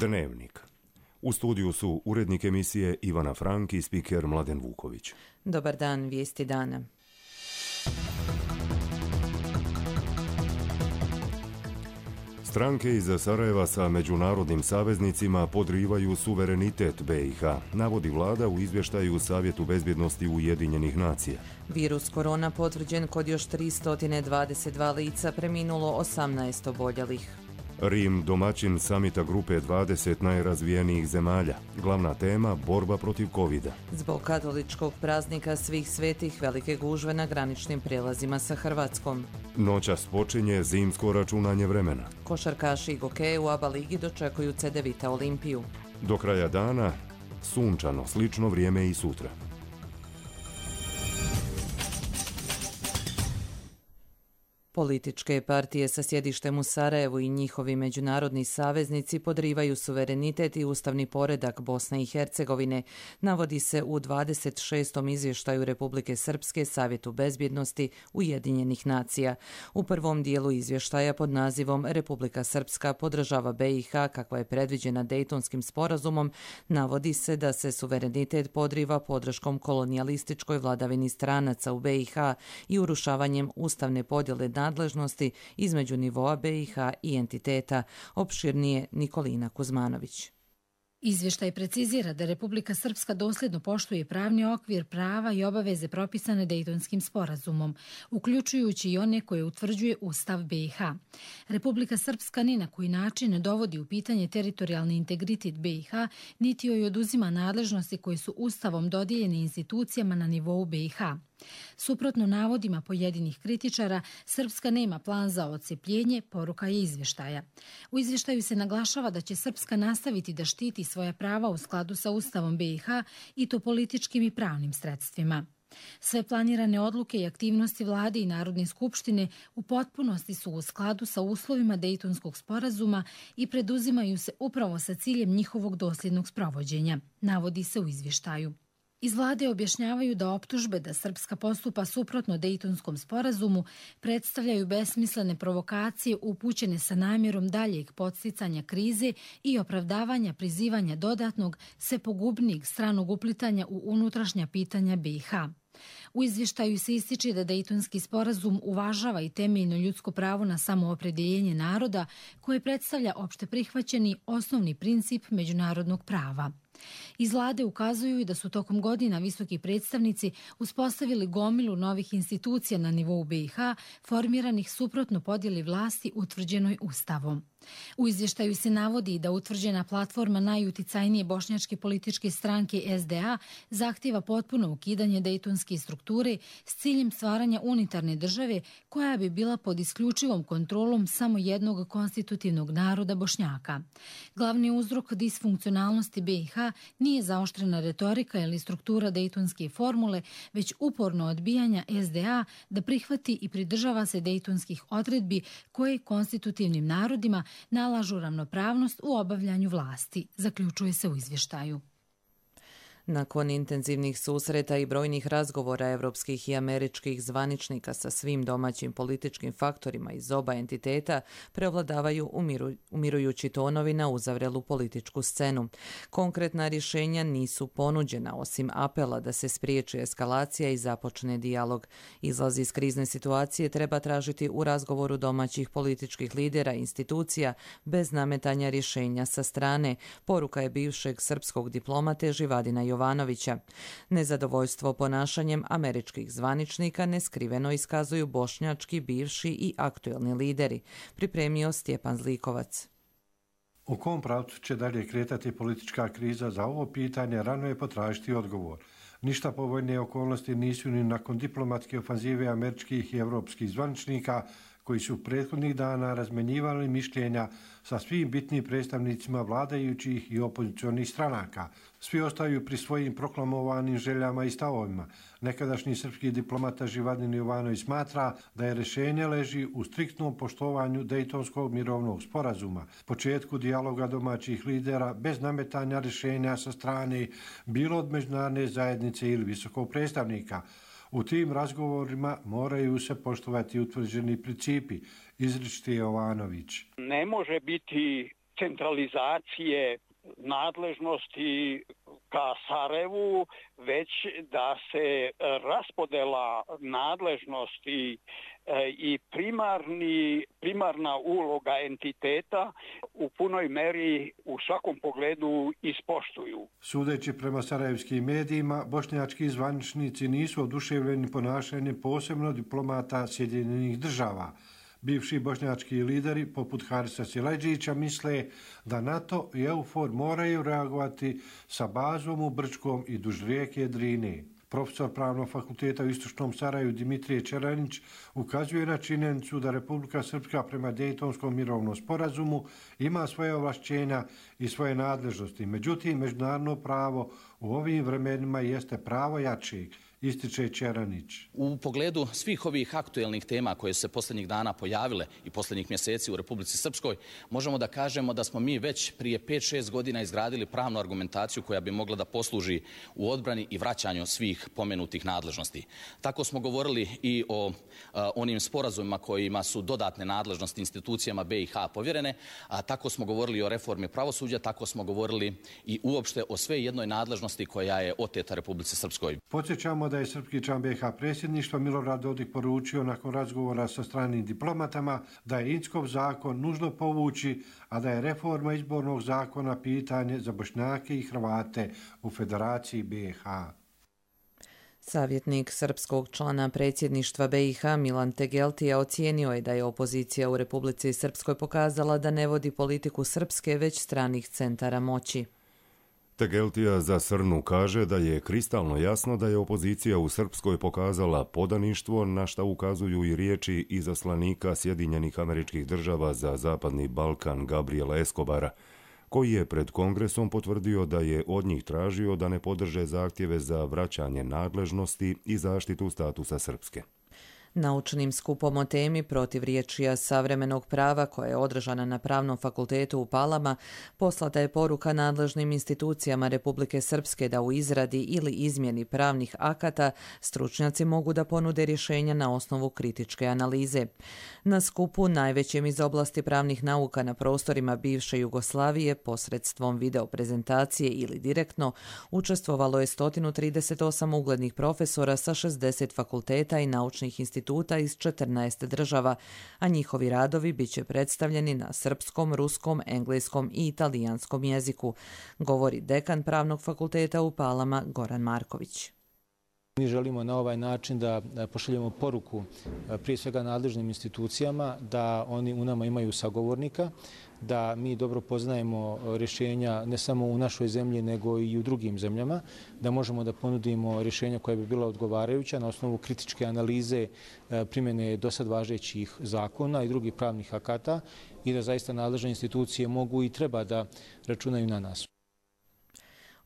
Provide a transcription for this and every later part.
Dnevnik. U studiju su urednik emisije Ivana Frank i spiker Mladen Vuković. Dobar dan, vijesti dana. Stranke iz Sarajeva sa međunarodnim saveznicima podrivaju suverenitet BiH, navodi vlada u izvještaju Savjetu bezbjednosti Ujedinjenih nacija. Virus korona potvrđen kod još 322 lica, preminulo 18 oboljelih. Rim domaćin samita grupe 20 najrazvijenijih zemalja. Glavna tema borba protiv covida. Zbog katoličkog praznika svih svetih velike gužve na graničnim prijelazima sa Hrvatskom. Noćas počinje zimsko računanje vremena. Košarkaši i gokeji u ABA ligi dočekuju Cedevita Olimpiju. Do kraja dana sunčano, slično vrijeme i sutra. Političke partije sa sjedištem u Sarajevu i njihovi međunarodni saveznici podrivaju suverenitet i ustavni poredak Bosne i Hercegovine, navodi se u 26. izvještaju Republike Srpske Savjetu bezbjednosti Ujedinjenih nacija. U prvom dijelu izvještaja pod nazivom Republika Srpska podržava BiH kakva je predviđena Dejtonskim sporazumom, navodi se da se suverenitet podriva podrškom kolonijalističkoj vladavini stranaca u BiH i urušavanjem ustavne podjele nadležnosti između nivoa BiH i entiteta, opširnije Nikolina Kuzmanović. Izvještaj precizira da Republika Srpska dosljedno poštuje pravni okvir prava i obaveze propisane Dejtonskim sporazumom, uključujući i one koje utvrđuje Ustav BiH. Republika Srpska ni na koji način ne dovodi u pitanje teritorijalni integritet BiH, niti joj oduzima nadležnosti koje su Ustavom dodijeljene institucijama na nivou BiH. Suprotno navodima pojedinih kritičara, Srpska nema plan za odcepljenje, poruka je izvještaja. U izvještaju se naglašava da će Srpska nastaviti da štiti svoja prava u skladu sa Ustavom BiH i to političkim i pravnim sredstvima. Sve planirane odluke i aktivnosti vlade i Narodne skupštine u potpunosti su u skladu sa uslovima Dejtonskog sporazuma i preduzimaju se upravo sa ciljem njihovog dosljednog sprovođenja, navodi se u izvještaju. Iz vlade objašnjavaju da optužbe da Srpska postupa suprotno Dejtonskom sporazumu predstavljaju besmislene provokacije upućene sa namjerom daljeg podsticanja krize i opravdavanja prizivanja dodatnog, sve pogubnijeg stranog uplitanja u unutrašnja pitanja BiH. U izvještaju se ističe da Dejtonski sporazum uvažava i temeljno ljudsko pravo na samoopredjeljenje naroda koje predstavlja opšte prihvaćeni osnovni princip međunarodnog prava. Iz vlade ukazuju i da su tokom godina visoki predstavnici uspostavili gomilu novih institucija na nivou BiH, formiranih suprotno podjeli vlasti utvrđenoj Ustavom. U izvještaju se navodi da utvrđena platforma najuticajnije bošnjačke političke stranke SDA zahtjeva potpuno ukidanje dejtonske strukture s ciljem stvaranja unitarne države koja bi bila pod isključivom kontrolom samo jednog konstitutivnog naroda Bošnjaka. Glavni uzrok disfunkcionalnosti BiH nije zaoštrena retorika ili struktura dejtonske formule, već uporno odbijanja SDA da prihvati i pridržava se dejtonskih odredbi koje konstitutivnim narodima nalažu ravnopravnost u obavljanju vlasti, zaključuje se u izvještaju. Nakon intenzivnih susreta i brojnih razgovora evropskih i američkih zvaničnika sa svim domaćim političkim faktorima iz oba entiteta, prevladavaju umirujući tonovi na uzavrelu političku scenu. Konkretna rješenja nisu ponuđena, osim apela da se spriječi eskalacija i započne dijalog. Izlaz iz krizne situacije treba tražiti u razgovoru domaćih političkih lidera i institucija bez nametanja rješenja sa strane, poruka je bivšeg srpskog diplomate Živadina Jovanovića. Nezadovoljstvo ponašanjem američkih zvaničnika neskriveno iskazuju bošnjački, bivši i aktuelni lideri, pripremio Stjepan Zlikovac. U kom pravcu će dalje kretati politička kriza, za ovo pitanje rano je potražiti odgovor. Ništa povoljnije okolnosti nisu ni nakon diplomatske ofanzive američkih i evropskih zvaničnika koji su prethodnih dana razmenjivali mišljenja sa svim bitnim predstavnicima vladajućih i opozicionih stranaka. Svi ostaju pri svojim proklamovanim željama i stavovima. Nekadašnji srpski diplomata Živadin Jovanović smatra da je rješenje leži u striktnom poštovanju Dejtonskog mirovnog sporazuma, početku dijaloga domaćih lidera bez nametanja rješenja sa strane bilo od međunarodne zajednice ili visokog predstavnika. U tim razgovorima moraju se poštovati utvrđeni principi, izričiti Jovanović. Ne može biti centralizacije nadležnosti ka Sarajevu, već da se raspodela nadležnosti i primarna uloga entiteta u punoj meri u svakom pogledu ispoštuju. Sudeći prema sarajevskim medijima, bošnjački zvaničnici nisu oduševljeni ponašanjem posebno diplomata Sjedinjenih Država. Bivši bošnjački lideri, poput Harisa Silajdžića, misle da NATO i EUFOR moraju reagovati sa bazom u Brčkom i duž rijeke Drine. Profesor Pravnog fakulteta u Istočnom Sarajevu Dimitrije Čeranić ukazuje na činjenicu da Republika Srpska prema Dejtonskom mirovnom sporazumu ima svoje ovlašćenja i svoje nadležnosti. Međutim, međunarodno pravo u ovim vremenima jeste pravo jačeg, ističe Čeranić. U pogledu svih ovih aktuelnih tema koje su se posljednjih dana pojavile i posljednjih mjeseci u Republici Srpskoj, možemo da kažemo da smo mi već prije 5-6 godina izgradili pravnu argumentaciju koja bi mogla da posluži u odbrani i vraćanju svih pomenutih nadležnosti. Tako smo govorili i o onim sporazumima kojima su dodatne nadležnosti institucijama BiH povjerene, a tako smo govorili o reformi pravosuđa, tako smo govorili i uopšte o sve jednoj nadležnosti koja je oteta Republici Srpskoj. Podsjećamo da je srpski član BiH predsjedništva Milorad Dodik poručio nakon razgovora sa stranim diplomatama da je Inckov zakon nužno povući, a da je reforma izbornog zakona pitanje za Bošnjake i Hrvate u Federaciji BiH. Savjetnik srpskog člana predsjedništva BiH Milan Tegeltija ocijenio je da je opozicija u Republici Srpskoj pokazala da ne vodi politiku srpske već stranih centara moći. Tegeltija za Srnu kaže da je kristalno jasno da je opozicija u Srpskoj pokazala podaništvo, na šta ukazuju i riječi izaslanika Sjedinjenih Američkih Država za Zapadni Balkan Gabriela Escobara, koji je pred Kongresom potvrdio da je od njih tražio da ne podrže zahtjeve za vraćanje nadležnosti i zaštitu statusa Srpske. Naučnim skupom o temi protivriječija savremenog prava koja je održana na Pravnom fakultetu u Palama poslata je poruka nadležnim institucijama Republike Srpske da u izradi ili izmjeni pravnih akata stručnjaci mogu da ponude rješenja na osnovu kritičke analize. Na skupu, najvećem iz oblasti pravnih nauka na prostorima bivše Jugoslavije, posredstvom video prezentacije ili direktno, učestvovalo je 138 uglednih profesora sa 60 fakulteta i naučnih instituta iz 14 država, a njihovi radovi bit će predstavljeni na srpskom, ruskom, engleskom i italijanskom jeziku, govori dekan Pravnog fakulteta u Palama Goran Marković. Mi želimo na ovaj način da pošaljemo poruku prije svega nadležnim institucijama da oni u nama imaju sagovornika, da mi dobro poznajemo rješenja ne samo u našoj zemlji nego i u drugim zemljama, da možemo da ponudimo rješenja koja bi bila odgovarajuća na osnovu kritičke analize primjene dosad važećih zakona i drugih pravnih akata i da zaista nadležne institucije mogu i treba da računaju na nas.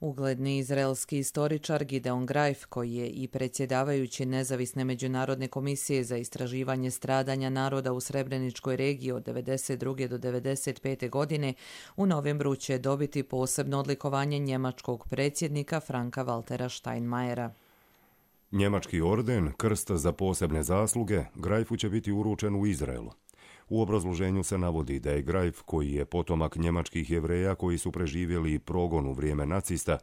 Ugledni izraelski istoričar Gideon Greif, koji je i predsjedavajući Nezavisne međunarodne komisije za istraživanje stradanja naroda u Srebreničkoj regiji od 1992. do 1995. godine, u novembru će dobiti posebno odlikovanje njemačkog predsjednika Franka Waltera Steinmeiera. Njemački orden, krst za posebne zasluge, Greifu će biti uručen u Izraelu. U obrazloženju se navodi da je Greif, koji je potomak njemačkih Jevreja koji su preživjeli progon u vrijeme nacista,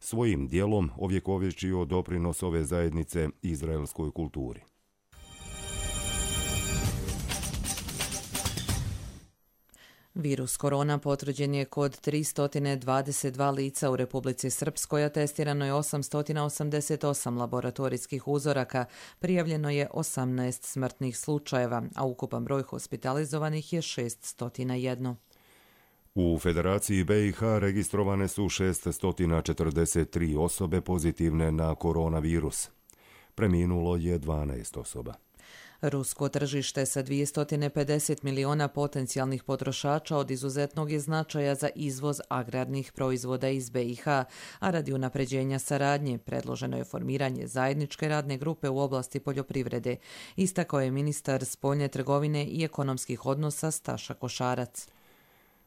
svojim djelom ovjekovječio doprinos ove zajednice izraelskoj kulturi. Virus korona potvrđen je kod 322 lica u Republici Srpskoj, a testirano je 888 laboratorijskih uzoraka, prijavljeno je 18 smrtnih slučajeva, a ukupan broj hospitalizovanih je 601. U Federaciji BiH registrovane su 643 osobe pozitivne na koronavirus. Preminulo je 12 osoba. Rusko tržište sa 250 miliona potencijalnih potrošača od izuzetnog je značaja za izvoz agrarnih proizvoda iz BiH, a radi unapređenja saradnje predloženo je formiranje zajedničke radne grupe u oblasti poljoprivrede, istakao je ministar spoljne trgovine i ekonomskih odnosa Staša Košarac.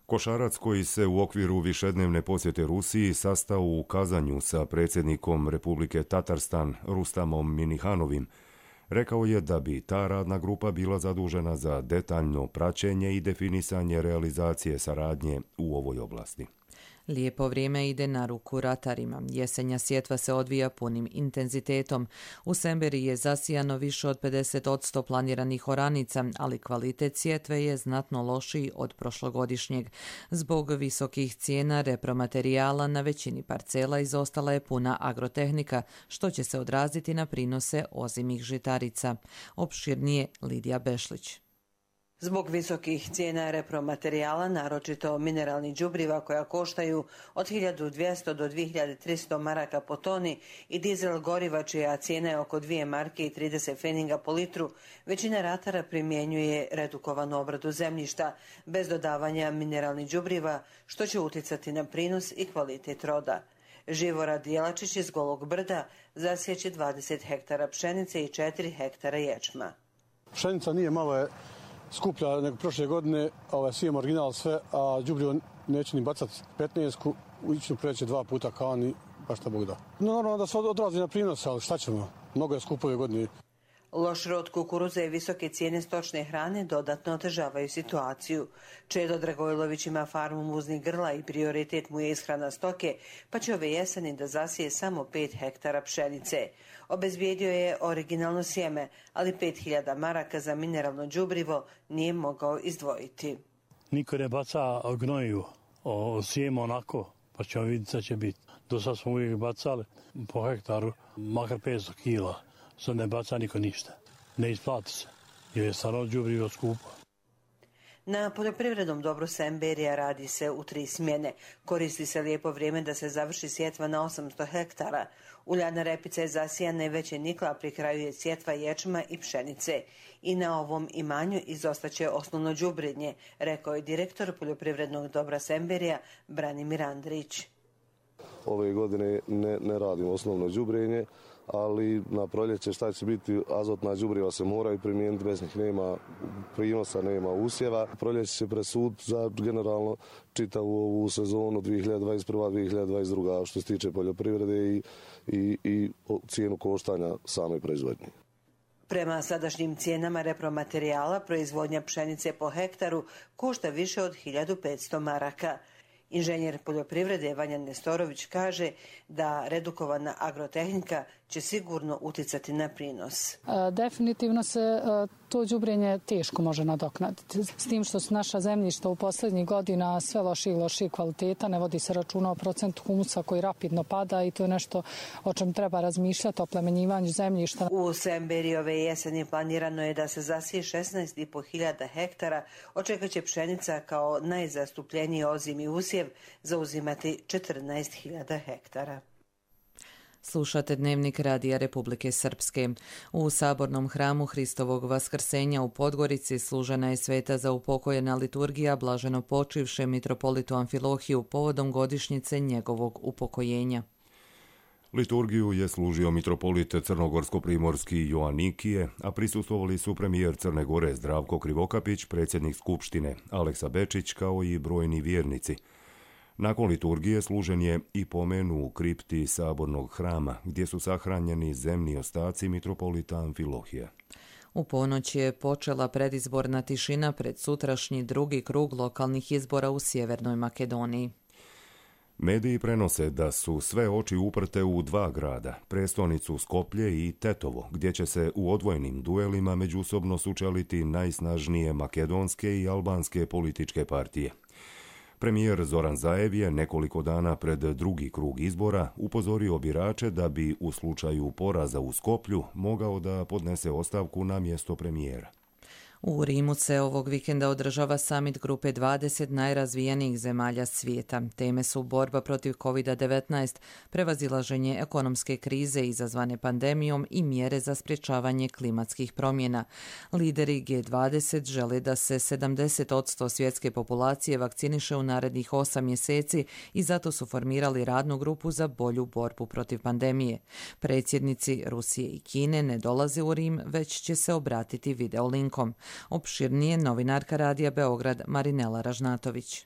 Košarac, koji se u okviru višednevne posjete Rusiji sastao u Kazanju sa predsjednikom Republike Tatarstan Rustamom Minihanovim, Rekao je da bi ta radna grupa bila zadužena za detaljno praćenje i definisanje realizacije saradnje u ovoj oblasti. Lijepo vrijeme ide na ruku ratarima. Jesenja sjetva se odvija punim intenzitetom. U Semberiji je zasijano više od 50% planiranih oranica, ali kvalitet sjetve je znatno lošiji od prošlogodišnjeg. Zbog visokih cijena repromaterijala na većini parcela izostala je puna agrotehnika, što će se odraziti na prinose ozimih žitarica. Opširnije Lidija Bešlić. Zbog visokih cijena repromaterijala, naročito mineralnih đubriva koja koštaju od 1200 do 2300 maraka po toni i dizel goriva čija cijena je oko 2 marke i 30 pfeninga po litru, većina ratara primjenjuje redukovanu obradu zemljišta bez dodavanja mineralnih đubriva, što će utjecati na prinos i kvalitet roda. Živorad Jelačić iz Golog Brda zasjeće 20 hektara pšenice i 4 hektara ječma. Pšenica nije malo skuplja nego prošle godine, sijem original sve, a đubrivo neće ni bacati 15-ku, ići preći 2 puta kao ni baš šta Bog da. Normalno da se odrazi na prinos, ali šta ćemo, mnogo je skupo ove godine. Loš rod kukuruza i visoke cijene stočne hrane dodatno otežavaju situaciju. Čedo Dragojlović ima farmu muznih grla i prioritet mu je ishrana stoke, pa će ove jeseni da zasije samo 5 hektara pšenice. Obezbijedio je originalno sjeme, ali 5000 maraka za mineralno đubrivo nije mogao izdvojiti. Niko ne baca gnoju, sjeme onako, pa ćemo vidjeti da će biti. Do sad smo uvijek bacali po hektaru, makar 500 kila. Sad ne baca niko ništa. Ne isplati se, jer je stvarno đubrivo skupo. Na poljoprivrednom dobru Semberija radi se u 3 smjene. Koristi se lijepo vrijeme da se završi sjetva na 800 hektara. Uljana repica je zasijana i već je nikla, pri kraju je sjetva ječma i pšenice. I na ovom imanju izostaće osnovno đubrenje, rekao je direktor poljoprivrednog dobra Semberija Branimir Andrić. Ove godine ne radimo osnovno đubrenje, ali na proljeće šta će biti, azotna đubriva se moraju primijeniti, bez njih nema prinosa, nema usjeva. Proljeće će presuditi za generalno čitavu ovu sezonu 2021-2022 što se tiče poljoprivrede i cijenu koštanja same proizvodnje. Prema sadašnjim cijenama repromaterijala, proizvodnja pšenice po hektaru košta više od 1500 maraka. Inženjer poljoprivrede Vanja Nestorović kaže da redukovana agrotehnika će sigurno utjecati na prinos. Definitivno se to đubrenje teško može nadoknaditi. S tim što su naša zemljišta u posljednjih godina sve loših i loših kvaliteta, ne vodi se računa o procentu humusa koji rapidno pada i to je nešto o čem treba razmišljati, o plemenjivanju zemljišta. U Semberiji ove jeseni planirano je da se zasije 16.500 hektara, od čega će pšenica kao najzastupljeniji ozimi usjev zauzimati 14.000 hektara. Slušate Dnevnik Radija Republike Srpske. U sabornom hramu Hristovog vaskrsenja u Podgorici služena je sveta za upokojena liturgija blaženo počivše mitropolitu Amfilohiju povodom godišnjice njegovog upokojenja. Liturgiju je služio mitropolit crnogorsko-primorski Joanikije, a prisustvovali su premijer Crne Gore Zdravko Krivokapić, predsjednik Skupštine Aleksa Bečić kao i brojni vjernici. Nakon liturgije služen je i pomen u kripti sabornog hrama, gdje su sahranjeni zemni ostaci mitropolita Amfilohija. U ponoć je počela predizborna tišina pred sutrašnji drugi krug lokalnih izbora u Sjevernoj Makedoniji. Mediji prenose da su sve oči uprte u 2 grada, prestonicu Skoplje i Tetovo, gdje će se u odvojenim duelima međusobno sučeliti najsnažnije makedonske i albanske političke partije. Premijer Zoran Zaev je nekoliko dana pred drugi krug izbora upozorio birače da bi u slučaju poraza u Skoplju mogao da podnese ostavku na mjesto premijera. U Rimu se ovog vikenda održava samit grupe 20 najrazvijenijih zemalja svijeta. Teme su borba protiv COVID-19, prevazilaženje ekonomske krize izazvane pandemijom i mjere za sprječavanje klimatskih promjena. Lideri G20 žele da se 70% svjetske populacije vakciniše u narednih 8 mjeseci i zato su formirali radnu grupu za bolju borbu protiv pandemije. Predsjednici Rusije i Kine ne dolaze u Rim, već će se obratiti videolinkom. Opširnije novinarka Radija Beograd Marinela Ražnatović.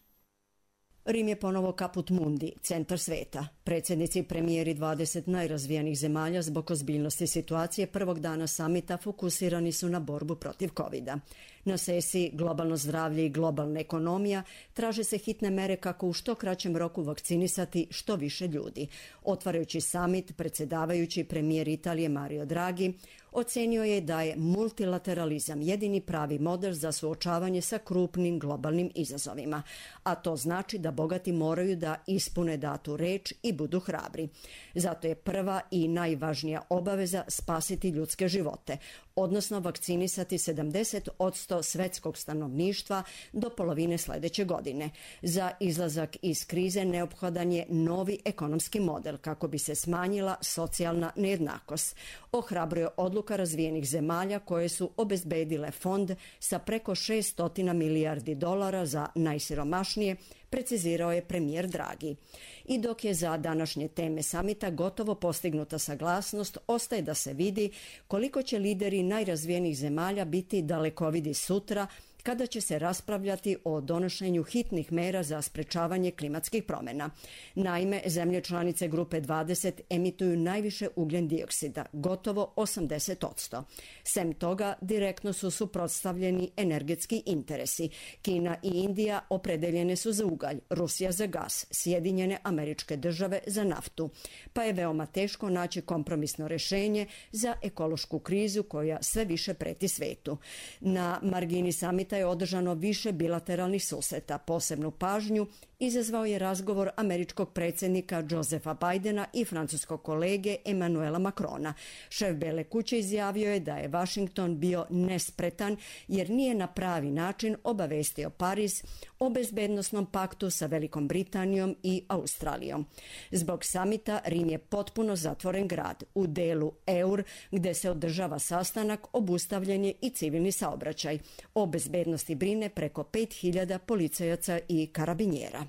Rim je ponovo kaput mundi, centar sveta. Predsjednici i premijeri 20 najrazvijenijih zemalja zbog ozbiljnosti situacije prvog dana samita fokusirani su na borbu protiv covida. Na sesiji Globalno zdravlje i globalna ekonomija traže se hitne mere kako u što kraćem roku vakcinisati što više ljudi. Otvarajući samit, predsjedavajući premijer Italije Mario Draghi ocenio je da je multilateralizam jedini pravi model za suočavanje sa krupnim globalnim izazovima, a to znači da bogati moraju da ispune datu reč i budu hrabri. Zato je prva i najvažnija obaveza spasiti ljudske živote, odnosno vakcinisati 70% svetskog stanovništva do polovine sljedeće godine. Za izlazak iz krize neophodan je novi ekonomski model kako bi se smanjila socijalna nejednakost. Ohrabruje odluka razvijenih zemalja koje su obezbedile fond sa preko $600 milijardi za najsiromašnije, precizirao je premijer Draghi. I dok je za današnje teme samita gotovo postignuta saglasnost, ostaje da se vidi koliko će lideri najrazvijenijih zemalja biti dalekovidi sutra kada će se raspravljati o donošenju hitnih mera za sprečavanje klimatskih promjena. Naime, zemlje članice grupe 20 emituju najviše ugljen dioksida, gotovo 80%. Sem toga, direktno su suprotstavljeni energetski interesi. Kina i Indija opredeljene su za ugalj, Rusija za gas, Sjedinjene Američke Države za naftu, pa je veoma teško naći kompromisno rješenje za ekološku krizu koja sve više preti svetu. Na margini samita je održano više bilateralnih susreta. Posebnu pažnju izazvao je razgovor američkog predsjednika Josepha Bidena i francuskog kolege Emmanuela Macrona. Šef Bele kuće izjavio je da je Washington bio nespretan jer nije na pravi način obavestio Pariz o bezbednosnom paktu sa Velikom Britanijom i Australijom. Zbog samita Rim je potpuno zatvoren grad. U delu Eur, gdje se održava sastanak, obustavljen je i civilni saobraćaj. O bezbednosti brine preko 5000 policajaca i karabinjera.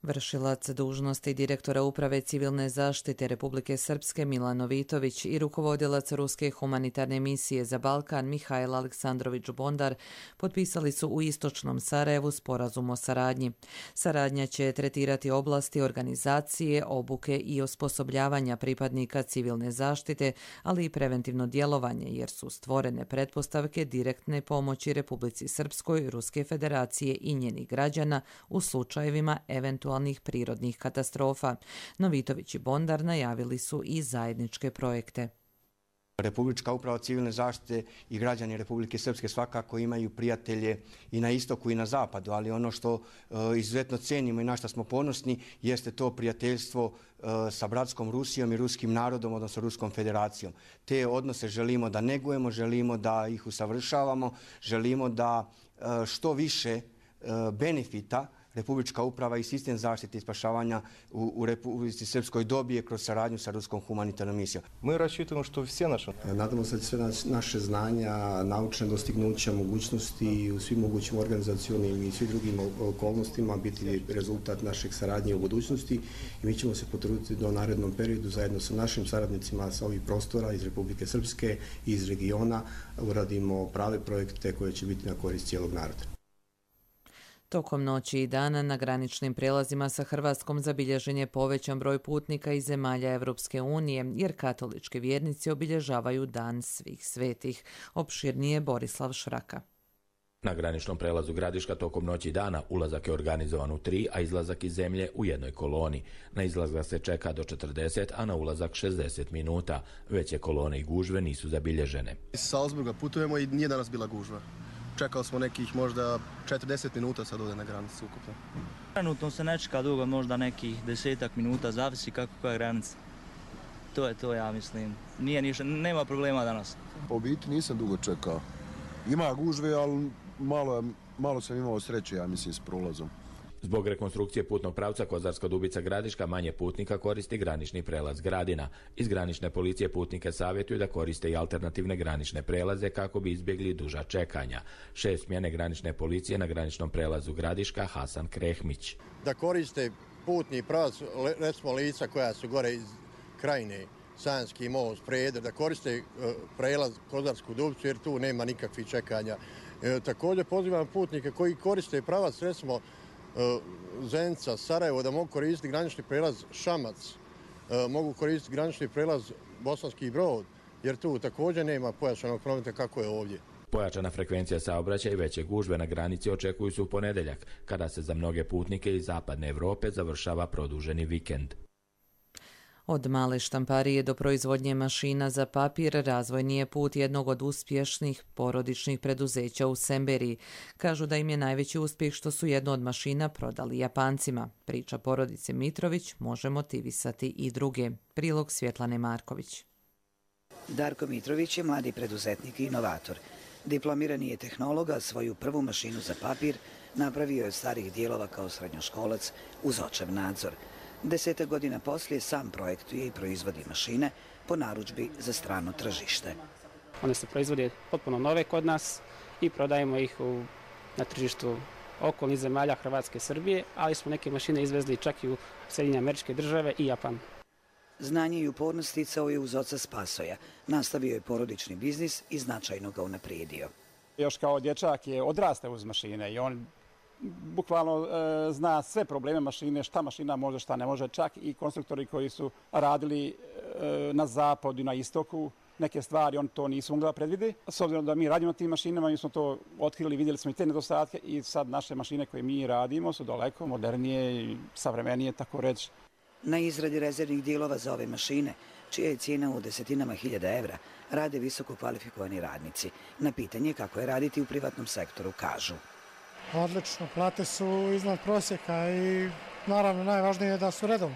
Vršilac dužnosti direktora Uprave civilne zaštite Republike Srpske Milan Novitović i rukovodilac Ruske humanitarne misije za Balkan Mihajl Aleksandrović Bondar potpisali su u istočnom Sarajevu sporazum o saradnji. Saradnja će tretirati oblasti organizacije, obuke i osposobljavanja pripadnika civilne zaštite, ali i preventivno djelovanje, jer su stvorene pretpostavke direktne pomoći Republici Srpskoj, Ruske federacije i njenih građana u slučajevima eventualnih prirodnih katastrofa. Novitović i Bondar najavili su i zajedničke projekte. Republička uprava civilne zaštite i građani Republike Srpske svakako imaju prijatelje i na istoku i na zapadu, ali ono što izuzetno cenimo i na što smo ponosni jeste to prijateljstvo sa bratskom Rusijom i ruskim narodom, odnosno Ruskom federacijom. Te odnose želimo da negujemo, želimo da ih usavršavamo, želimo da što više benefita Republička uprava i sistem zaštite i spašavanja u Republici Srpskoj dobije kroz saradnju sa Ruskom humanitarnom misijom. Mi računamo što sve naše... Nadamo se da sve naše znanja, naučne dostignuća, mogućnosti u svim mogućim organizacionim i svim drugim okolnostima biti rezultat našeg saradnje u budućnosti i mi ćemo se potruditi da u narednom periodu zajedno sa našim saradnicima sa ovih prostora iz Republike Srpske i iz regiona uradimo prave projekte koje će biti na korist cijelog naroda. Tokom noći i dana na graničnim prijelazima sa Hrvatskom zabilježen je povećan broj putnika iz zemalja Evropske unije, jer katolički vjernici obilježavaju Dan svih svetih. Opširnije Borislav Šraka. Na graničnom prelazu Gradiška tokom noći i dana ulazak je organizovan u 3, a izlazak iz zemlje u jednoj koloni. Na izlazak se čeka do 40, a na ulazak 60 minuta. Veće kolone i gužve nisu zabilježene. Iz Salzburga putujemo i nije danas bila gužva. Čekali smo nekih možda 40 minuta sad ovdje na granici ukupno. Trenutno se ne čeka dugo, možda nekih 10 minuta, zavisi kako koja je granica. To je to, ja mislim. Nije ništa, nema problema danas. Po biti nisam dugo čekao. Ima gužve, ali malo sam imao sreće, ja mislim, s prolazom. Zbog rekonstrukcije putnog pravca Kozarska Dubica-Gradiška manje putnika koristi granični prelaz Gradina. Iz granične policije putnike savjetuju da koriste i alternativne granične prelaze kako bi izbjegli duža čekanja. Šef smjene granične policije na graničnom prelazu Gradiška Hasan Krehmić. Da koriste putni pravac, recimo lica koja su gore iz Krajine, Sanjski most, Preder, da koriste prelaz Kozarsku Dubicu jer tu nema nikakvih čekanja. Također pozivam putnike koji koriste pravac, recimo Zenica, Sarajevo, da mogu koristiti granični prelaz Šamac, mogu koristiti granični prelaz Bosanski Brod, jer tu također nema pojačanog prometa kako je ovdje. Pojačana frekvencija saobraćaja i veće gužve na granici očekuju se u ponedjeljak, kada se za mnoge putnike iz zapadne Europe završava produženi vikend. Od male štamparije do proizvodnje mašina za papir razvojni je put jednog od uspješnih porodičnih preduzeća u Semberiji. Kažu da im je najveći uspjeh što su jednu od mašina prodali Japancima. Priča porodice Mitrović može motivisati i druge. Prilog Svjetlane Marković. Darko Mitrović je mladi preduzetnik i inovator. Diplomirani je tehnolog, a svoju prvu mašinu za papir napravio je od starih dijelova kao srednjoškolac uz očev nadzor. 10 godina poslije sam projektuje i proizvodi mašine po narudžbi za strano tržište. One se proizvode potpuno nove kod nas i prodajemo ih na tržištu okolnih zemalja Hrvatske i Srbije, ali smo neke mašine izvezli čak i u Sjedinjene Američke Države i Japan. Znanje i upornost sticao je uz oca Spasoja. Nastavio je porodični biznis i značajno ga unaprijedio. Još kao dječak je odrastao uz mašine i on bukvalno zna sve probleme mašine, šta mašina može, šta ne može. Čak i konstruktori koji su radili na zapadu i na istoku, neke stvari on to nisu mogli da predvide. S obzirom da mi radimo na tim mašinama, mi smo to otkrili, vidjeli smo i te nedostatke i sad naše mašine koje mi radimo su daleko modernije i savremenije, tako reći. Na izradi rezervnih dijelova za ove mašine, čija je cijena u desetinama hiljada evra, rade visoko kvalifikovani radnici. Na pitanje kako je raditi u privatnom sektoru kažu. Odlično, plate su iznad prosjeka i naravno najvažnije je da su redovni.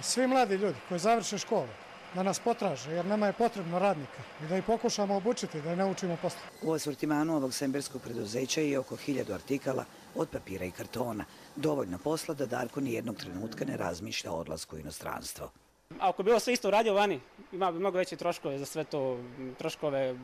Svi mladi ljudi koji završe školu da nas potraže jer nama je potrebno radnika i da ih pokušamo obučiti, da ih naučimo poslu. U asortimanu ovog semberskog preduzeća je oko 1000 artikala od papira i kartona. Dovoljno posla da Darko nijednog trenutka ne razmišlja o odlasku u inostranstvo. Ako bi bilo sve isto radio vani, ima bi mnogo veće troškove za sve to, troškove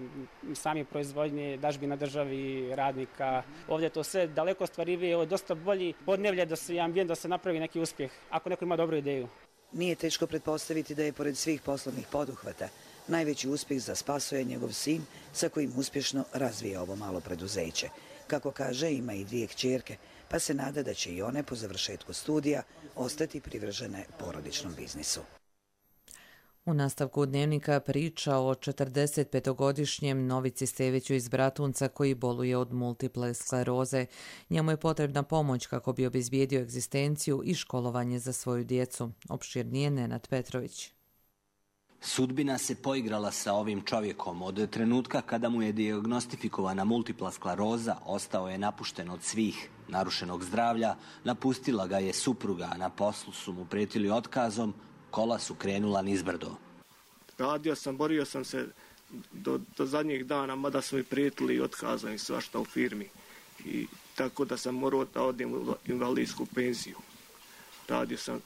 sami proizvodnje, dažbina državi, radnika. Ovdje je to sve daleko ostvarivije, ovo je dosta bolji podneblje da se ambijent da se napravi neki uspjeh, ako neko ima dobru ideju. Nije teško pretpostaviti da je pored svih poslovnih poduhvata najveći uspjeh za Spasoja njegov sin sa kojim uspješno razvija ovo malo preduzeće. Kako kaže, ima i 2 kćerke, pa se nada da će i one po završetku studija ostati privržene porodičnom biznisu. U nastavku dnevnika priča o 45-godišnjem Novici Steviću iz Bratunca koji boluje od multiple skleroze. Njemu je potrebna pomoć kako bi obezbijedio egzistenciju i školovanje za svoju djecu. Opširnije Nenad Petrović. Sudbina se poigrala sa ovim čovjekom. Od trenutka kada mu je dijagnostifikovana multipla skleroza, ostao je napušten od svih. Narušenog zdravlja, napustila ga je supruga, na poslu su mu prijetili otkazom, kola su krenula nizbrdo. Radio sam, borio sam se do zadnjih dana, mada su mi prijetili otkazom i svašta u firmi. I tako da sam morao da odem u invalidsku penziju. Radio sam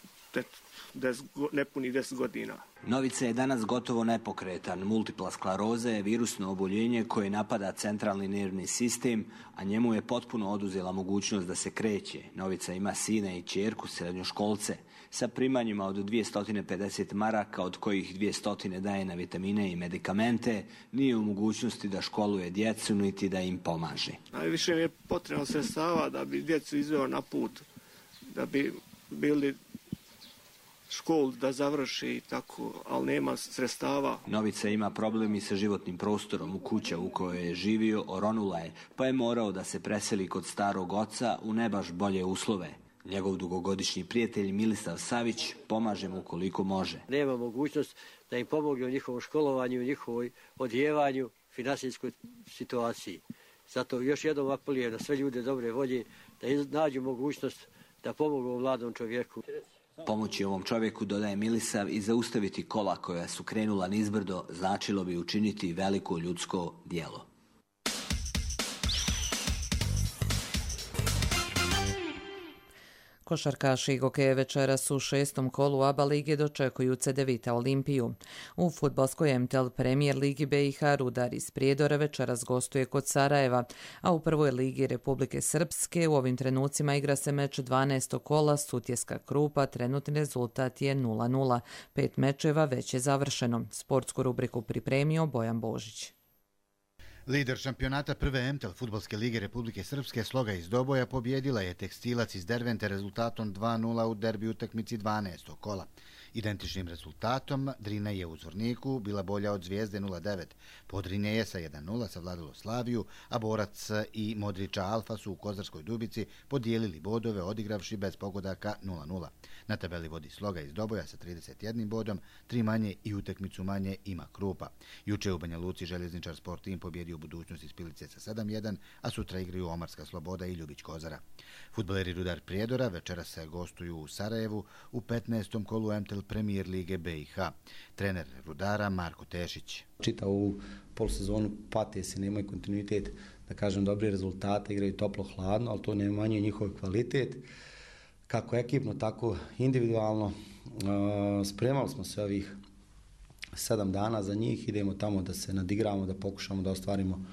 nepunih 10 godina. Novica je danas gotovo nepokretan. Multipla skleroza je virusno oboljenje koje napada centralni nervni sistem, a njemu je potpuno oduzela mogućnost da se kreće. Novica ima sina i ćerku, srednjoškolce, sa primanjima od 250 maraka, od kojih 200 daje na vitamine i medikamente, nije u mogućnosti da školuje djecu niti da im pomaže. Najviše mi je potrebno sredstava da bi djecu izveo na put, da bi bili školu da završi i tako, ali nema sredstava. Novica ima problem i sa životnim prostorom. U kuća u kojoj je živio oronula je, pa je morao da se preseli kod starog oca u ne baš bolje uslove. Njegov dugogodišnji prijatelj Milisav Savić pomaže mu koliko može. Nema mogućnost da im pomogne u njihovom školovanju, u njihovoj odjevanju, finansijskoj situaciji. Zato još jednom apeliram na sve ljude dobre volje da nađu mogućnost da pomogu mladom čovjeku. Pomoći ovom čovjeku, dodaje Milisav, i zaustaviti kola koja su krenula nizbrdo značilo bi učiniti veliko ljudsko djelo. Košarkaši Gokeje večeras u 6. kolu ABA lige dočekuju Cedevita Olimpiju. U fudbalskoj MTL Premier ligi BiH Rudar iz Prijedora večeras gostuje kod Sarajeva, a u prvoj ligi Republike Srpske u ovim trenucima igra se meč 12. kola Sutjeska Krupa, trenutni rezultat je 0:0. 5 mečeva već je završeno. Sportsku rubriku pripremio Bojan Božić. Lider šampionata prve MTEL fudbalske lige Republike Srpske Sloga iz Doboja pobjedila je Tekstilac iz Dervente rezultatom 2:0 u derbi utakmici 12. kola. Identičnim rezultatom Drina je u Zvorniku bila bolja od Zvijezde 0:9. Podrinje je sa 1:0 savladalo Slaviju, a Borac i Modriča Alfa su u Kozarskoj Dubici podijelili bodove odigravši bez pogodaka 0:0. Na tabeli vodi Sloga iz Doboja sa 31 bodom, 3 manje i utakmicu manje ima Krupa. Juče u Banja Luci Željezničar Sport Tim pobjedio Budućnost iz Pilice sa 7:1, a sutra igraju Omarska Sloboda i Ljubić Kozara. Fudbaleri Rudar Prijedora večeras se gostuju u Sarajevu u 15. kolu MTEL Premier lige BiH. Trener Rudara Marko Tešić. Čitavu polusezonu pate se, nemaju kontinuitet, da kažem, dobri rezultate, igraju toplo-hladno, ali to ne manje njihov kvalitet. Kako ekipno, tako individualno. Spremali smo se ovih 7 dana za njih, idemo tamo da se nadigramo, da pokušamo da ostvarimo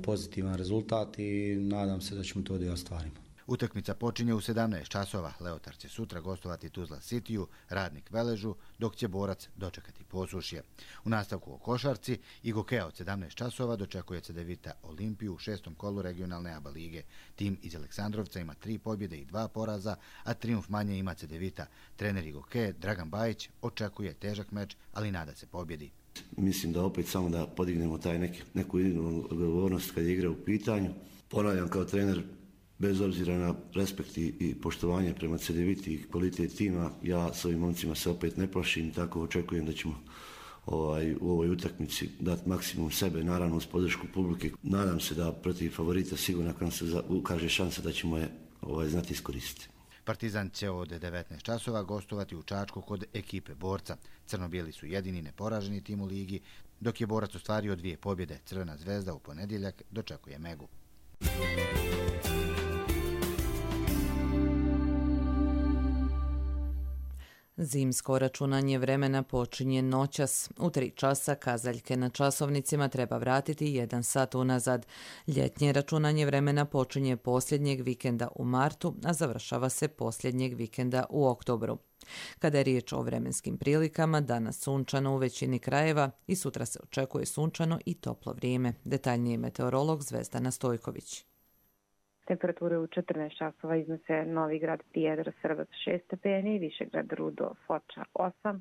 pozitivan rezultat i nadam se da ćemo to da i ostvarimo. Utakmica počinje u 17 časova. Leotar će sutra gostovati Tuzla Cityju, Radnik Veležu, dok će Borac dočekati Posušje. U nastavku o košarci i Gokeja od 17 časova dočekuje Cedevita Olimpiju u 6. kolu regionalne ABA lige. Tim iz Aleksandrovca ima 3 pobjede i 2 poraza, a trijumf manje ima Cedevita. Trener i Gokeje Dragan Bajić očekuje težak meč, ali nada se pobjedi. Mislim da opet samo da podignemo neku individualnu odgovornost kad je igra u pitanju. Ponavljam, kao trener, bez obzira na respekt i poštovanje prema Cedeviti i kvalitet tima, ja s ovim momcima se opet ne plašim, tako očekujem da ćemo u ovoj utakmici dati maksimum sebe, naravno uz podršku publike. Nadam se da protiv favorita sigurno kad nam se ukaže šansa da ćemo je znati iskoristiti. Partizan će od 19 časova gostovati u Čačku kod ekipe Borca. Crno-bijeli su jedini neporaženi tim u ligi, dok je Borac ostvario 2 pobjede. Crvena zvezda u ponedjeljak dočekuje Megu. Zimsko računanje vremena počinje noćas. U 3 časa kazaljke na časovnicima treba vratiti 1 sat unazad. Ljetnje računanje vremena počinje posljednjeg vikenda u martu, a završava se posljednjeg vikenda u oktobru. Kada je riječ o vremenskim prilikama, danas sunčano u većini krajeva i sutra se očekuje sunčano i toplo vrijeme. Detaljniji meteorolog Zvezdana Stojković. Temperature u 14 časova iznose Novi Grad, Prijedor, Srbac 6 stepeni, Višegrad, Rudo, Foča 8,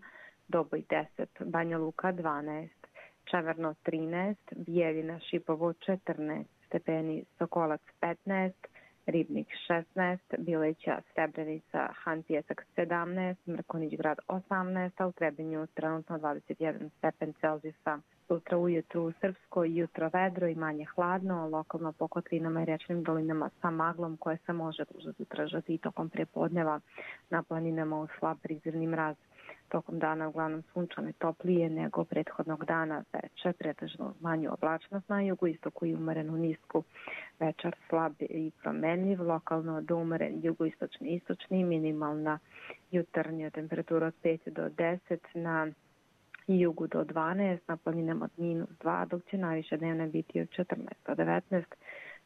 Doboj 10, Banja Luka 12, Čemerno 13, Bijeljina, Šipovo 14 stepeni, Sokolac 15, Ribnik 16, Bileća, Srebrenica, Han Pjesak 17, Mrkonić Grad 18, a u Trebinju trenutno 21 stepen Celzijusa. Sutra ujutru u Srpskoj jutro vedro i manje hladno, lokalno po kotlinama i rečnim dolinama sa maglom koje se može duže zadržati i tokom prepodneva. Na planinama u slab prizemni mraz. Tokom dana uglavnom sunčane toplije nego prethodnog dana, veče, pretežno manju oblačnost na jugu, istoku i umerenu nisku. Večer slab i promenljiv, lokalno do umeren jugoistočni, minimalna jutarnja temperatura od 5 do 10, na jugu do 12, na planinama od -2, dok će najviše dnevne biti od 14 do 19,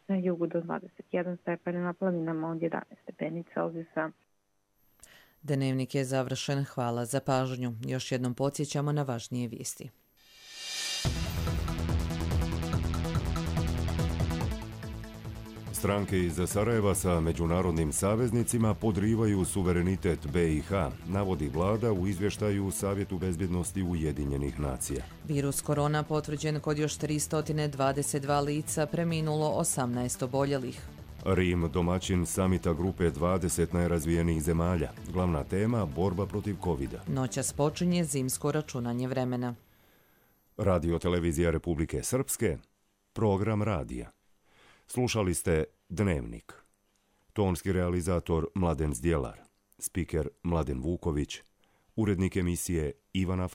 na jugu do 21 stepeni, na planinama od 11 stepeni Celzijusa. Dnevnik je završen. Hvala za pažnju. Još jednom podsjećamo na važnije vijesti. Stranke iz Sarajeva sa međunarodnim saveznicima podrivaju suverenitet BiH, navodi vlada u izvještaju Savjetu bezbjednosti Ujedinjenih nacija. Virus korona potvrđen kod još 322 lica, preminulo 18 oboljelih. Rim domaćin samita grupe 20 najrazvijenijih zemalja. Glavna tema borba protiv covida. Noćas počinje zimsko računanje vremena. Radio televizija Republike Srpske, program radija. Slušali ste Dnevnik. Tonski realizator Mladen Zdjelar, spiker Mladen Vuković, urednik emisije Ivana